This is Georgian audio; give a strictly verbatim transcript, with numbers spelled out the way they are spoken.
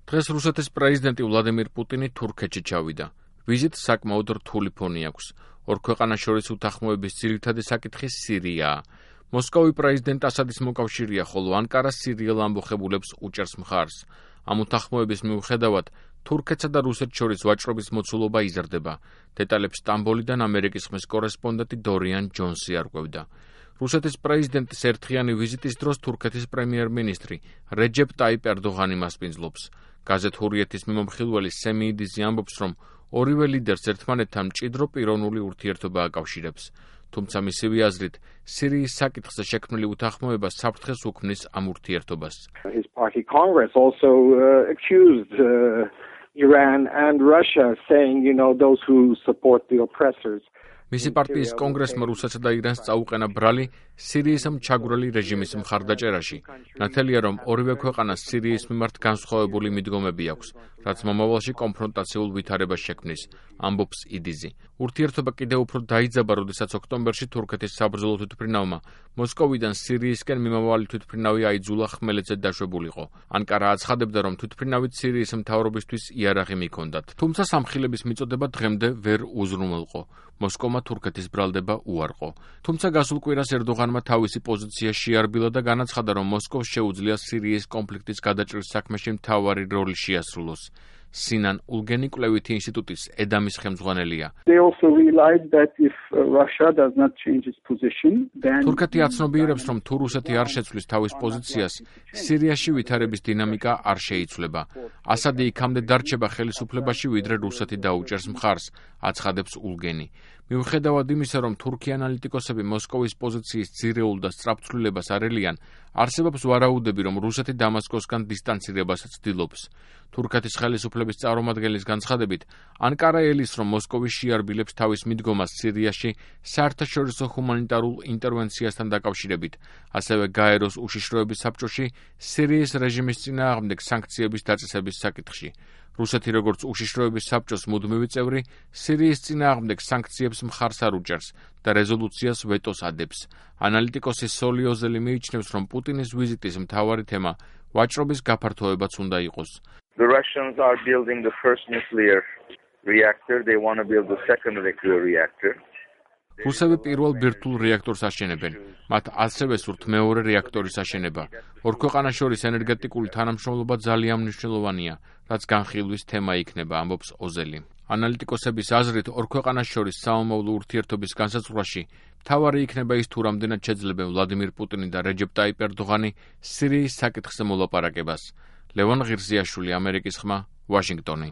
დღეს რუსეთის პრეზიდენტი ვლადიმირ პუტინი თურქეთში ჩავიდა. ვიზიტს საკმაოდ რთული ფონი აქვს. ორ ქვეყანას შორის უთანხმოების ძირითადი საკითხი სირიაა. მოსკოვი პრეზიდენტ ასადის მოკავშირეა, ხოლო ანკარა სირიელ ამბოხებულებს უჭერს მხარს. ამ უთანხმოების მიუხედავად, თურქეთსა და რუსეთს შორის ვაჭრობის მოცულობა იზრდება. დეტალებს სტამბოლიდან ამერიკის ხმის კორესპონდენტი დორიან ჯონსი არკვევდა. რუსეთის პრეზიდენტის ერთხიანი ვიზიტის დროს თურქეთის პრემიერ-მინისტრი რეჯეპ ტაიპ ერდოღანი მასპინძლობს. გაზეთ ჰურიეთის მიმომხილველი სემიიდიზი ამბობს, რომ ორივე ლიდერს ერთმანეთთან მჭიდრო პიროვნული ურთიერთობა აკავშირებს. თუმცა მისივე აზრით, სირიის საკითხზე შექმნილი უთანხმოება საფრთხეს უქმნის ამ ურთიერთობას. His party Congress also uh, accused uh, Iran and Russia, saying, you know, those who support the oppressors. მისი პარტიის კონგრესმა რუსეთსა და ირანს წაუყენა ბრალი სირიის ჩაგვრელი რეჟიმის მხარდაჭერაში. ნათელია, რომ ორივე ქვეყანას სირიის მიმართ განსხვავებული მიდგომები აქვს, რაც მომავალში კონფრონტაციულ ვითარებას შექმნის, ამბობს იდიზი. ურთიერთობა კიდევ უფრო დაიძაბა, როდესაც ოქტომბერში თურქეთის საბრძოლო თვითმფრინავმა მოსკოვიდან სირიისკენ მიმავალი თვითმფრინავი აიძულა ხმელეთზე დაშვებულიყო. ანკარა აცხადებდა, რომ თვითმფრინავით სირიის მთავრობისთვის იარაღი მიქონდათ, თუმცა სამხილების მიწოდება დღემდე ვერ უზრუნველყო. მოსკოვმა თურქეთის ბრალდება უარყო. თუმცა გასულ კვირას ერდოღანმა თავისი პოზიცია შეარბილა და განაცხადა, რომ მოსკოვს შეუძლია სირიის კონფლიქტის გადაჭრის საქმეში მთავარი როლი შეასრულოს. სინან ულგენი კვლევითი ინსტიტუტის ედამის ხელმძღვანელია. თურქეთი აცნობიერებს, რომ თუ რუსეთი არ შეცვლის თავის პოზიციას, სირიაში ვითარების დინამიკა არ შეიცვლება. ასადი იქამდე დარჩება ხელისუფლებაში, ვიდრე რუსეთი დაუჭერს მხარს, აცხადებს ულგენი. მიუხედავად იმისა, რომ თურქი ანალიტიკოსები მოსკოვის პოზიციის ძირეულ და სწრაფცვლილებას არ ელიან, არსებობს ვარაუდები, რომ რუსეთი დამასკოსგან დისტანცირებას ცდილობს. თურქეთის ხელისუფლების წარმომადგენლის განცხადებით, ანკარა ელის, რომ მოსკოვი შეარბილებს თავის მიდგომას სირიაში საერთაშორისო ჰუმანიტარულ ინტერვენციასთან დაკავშირებით, ასევე გაეროს უშიშროების საბჭოში სირიის რეჟიმის წინააღმდეგ სანქციების დაწესების საკითხში. რუსეთი, როგორც უშიშროების საბჭოს მუდმივი წევრი, სირიის წინააღმდეგ სანქციებს მხარს არ უჭერს და რეზოლუციას ვეტოს ადებს. ანალიტიკოსი სოლი ოზელი მიიჩნევს, რომ პუტინის ვიზიტის მთავარი თემა ვაჭრობის გაფართოებაც უნდა იყოს. The Russians are building the first nuclear reactor, they want to build the second nuclear reactor. რუსები პირველ ბირთვულ რეაქტორს აშენებენ, მათ ასევე სურთ მეორე რეაქტორის აშენება. ორ ქვეყანას შორის ენერგეტიკული თანამშრომლობა ძალიან მნიშვნელოვანია, რაც განხილვის თემა იქნება, ამბობს ოზელი. ანალიტიკოსების აზრით, ორ ქვეყანას შორის სამომავლო ურთიერთობის განსაზღვრაში მთავარი იქნება ის, თუ რამდენად შეძლებენ ვლადიმირ პუტინი და რეჯეპ ტაიპ ერდოღანი სირიის საკითხზე მოლაპარაკებას. ლევან ღირსიაშვილი, ამერიკის ხმა, ვაშინგტონი.